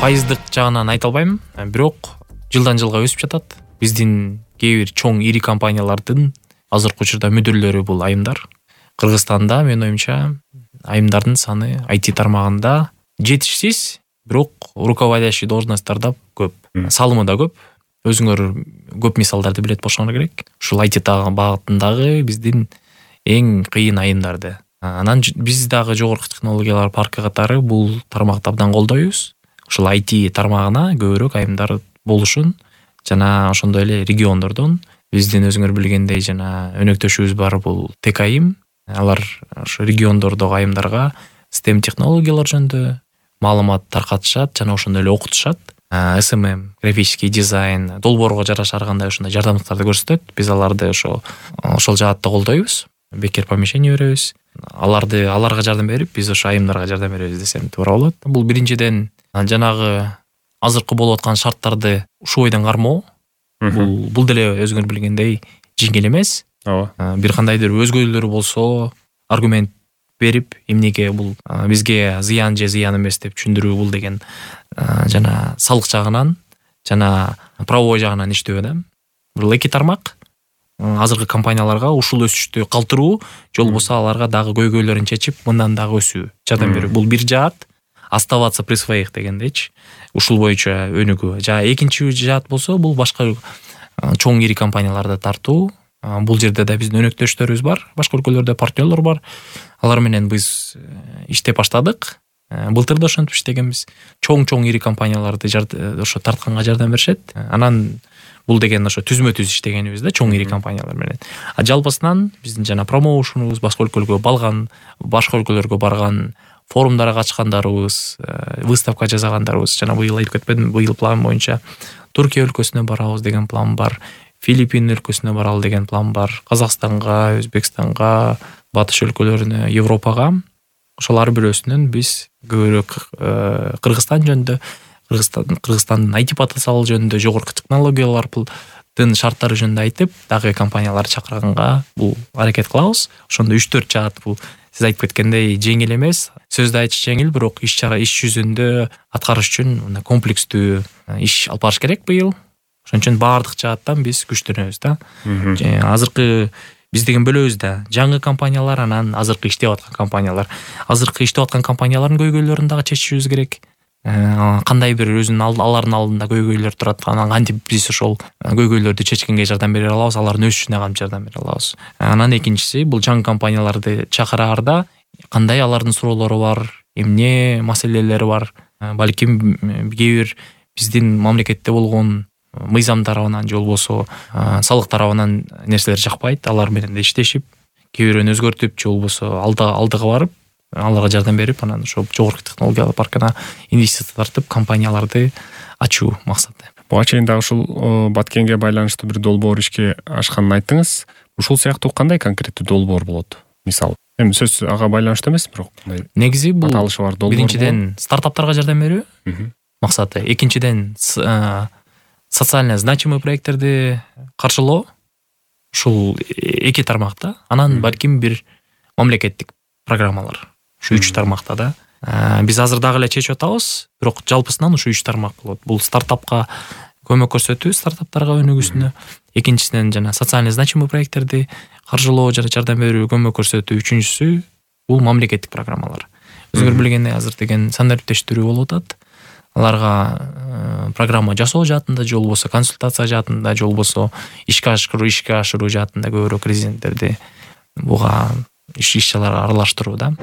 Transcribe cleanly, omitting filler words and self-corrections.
пайыздык жагынан айта албайм, бирок жылдан жылга өсүп жатат. Биздин кээ бир чоң ири компаниялардын азыркы учурда мүдүрлөрү бул айымдар. Кыргызстанда менин оюмча айымдардын саны IT тармагында жетишсиз, бирок руководящий должностьтарда көп, салымы да көп. Өзүңөр көп мисалдарды билет болушуңар керек. Ушул IT багытындагы биздин эң кыйын айымдарды. Анан биз дагы жогорку технологиялар паркы катары бул тармакты абдан колдойбуз. Ушул IT тармагына көбүрөөк айымдар болушун жана ошондой эле региондордон биздин өзүңөр билгендей жана өнөктөшүбүз бар бул ТКайым. Алар ошо региондордогу айымдарга STEM технологиялар жөнүндө маалымат таркатышат жана ошондой эле окутушат. SMM, графический дизайн, долбоорго жараша ар кандай ошондой жардамдыктарды көрсөтөт. Биз аларды ошол жаатта колдойбуз. Бекер помещение беребиз. Аларга жардам берип, биз ошо айымдарга жардам беребиз десем туура болот. Бул биринчиден жанагы азыркы болуп аткан шарттарды ушул бойдон кармоо. Бул деле өзүңөр билгендей жеңил эмес. Ооба. Бир кандайдыр өзгөлөр болсо аргумент берип, эмнеге бул бизге зыян же зыян эмес деп түшүндүрүү бул деген жана салык жагынан жана правовой жагынан иштөө да. Бул эки тармак азыркы компанияларга ушул өсүштү калтыруу, же болбосо аларга дагы көйгөйлөрүн чечип, мындан дагы өсүү, жардам берүү. Бул бир жаат, оставаться при своих дегендейчи. Ушул боюнча өнүгүү. Жана экинчи жаат болсо, бул башка чоң ири компанияларды тартуу. Бул жерде да биздин өнөктөштөрүбүз бар, башка өлкөлөрдө партнерлор бар. Алар менен биз иштеп баштадык. Былтыр да ошентип иштегенбиз. Чоң ири компанияларды ошо тартканга жардам беришет. Анан бул деген ошо түзмө-түз иштегенибиз да, чоң ири компаниялар менен. Жалпысынан биздин жана промоушенубуз, башка өлкөлөргө барган, форумдарга катышкандарыбыз, выставка жасагандарыбыз, жана быйыл айтып кетпедим, быйыл план боюнча Түркия өлкөсүнө барабыз деген план бар. Филиппин өлкөсүнө баралы деген план бар. Казакстанга, Өзбекстанга, батыш өлкөлөрүнө, Европага. Ошол ар бирөөсүнөн биз көбүрөөк Кыргызстан жөнүндө, Кыргызстандын IT потенциалы жөнүндө, жогорку технологиялардын шарттары жөнүндө айтып, дагы компанияларды чакырганга бул аракет кылабыз. Ошондо 3-4 жаат бул сиз айтып кеткендей жеңил эмес. Сөздө айтыш жеңил, бирок иш жүзүндө аткарыш үчүн комплекстүү иш алып барыш керек быйыл. Ошон үчүн баардык жааттан биз күчтөнөбүз да. Азыркы биз деген бөлөбүз да. Жаңы компаниялар, анан азыркы иштеп аткан компаниялар. Азыркы иштеп аткан компаниялардын көйгөйлөрүн дагы чечишибиз керек. Кандай бир өзүнүн алардын алдында көйгөйлөр турат, анан кантип биз ошол көйгөйлөрдү чечкенге жардам бере алабыз, алардын өсүшүнө кантип жардам бере алабыз. Анан экинчиси, бул жаңы компанияларды чакыраарда кандай алардын суроолору бар, эмне маселелери бар, балким кээ бир биздин мамлекетте болгон мыйзам тарабынан же болбосо салык тарабынан нерселер жакпайт, алар менен иштешип, кээ бирөөнү өзгөртүп же болбосо алдыга барып, аларга жардам берип, анан ошо жогорку технологиялар паркына инвестиция тартып, компанияларды ачуу максаты. Буга чейин дагы ушул Баткенге байланыштуу бир долбоор ишке ашканын айттыңыз. Ушул сыяктуу кандай конкреттүү долбоор болот? Мисалы, эми сөз ага байланыштуу эмес, бирок негизи бул аталышы бар долбоор. Биринчиден стартаптарга жардам берүү максаты, экинчиден социально значимый проекттерди каршылоо. Ушул эки тармакта, анан балким бир мамлекеттик программалар. Ушу 3 тармакта да. Биз азыр дагы эле чечип атабыз, бирок жалпысынан ушу 3 тармак болот. Бул стартапка көмөк көрсөтүү, стартаптарга өнүгүүсүнө, экинчисинен жана социально значимый проекттерди каржылоо жана жардам берүү, көмөк көрсөтүү, үчүнчүсү бул мамлекеттик программалар. Өзүңөр билгендей азыр деген сандариптештирүү болуп атат. Аларга программа жасоо жаатында, же болбосо консультация жаатында, же болбосо ишке ашыруу жаатында көбүрөөк резиденттерди буга иш-чараларга аралаштыруу да.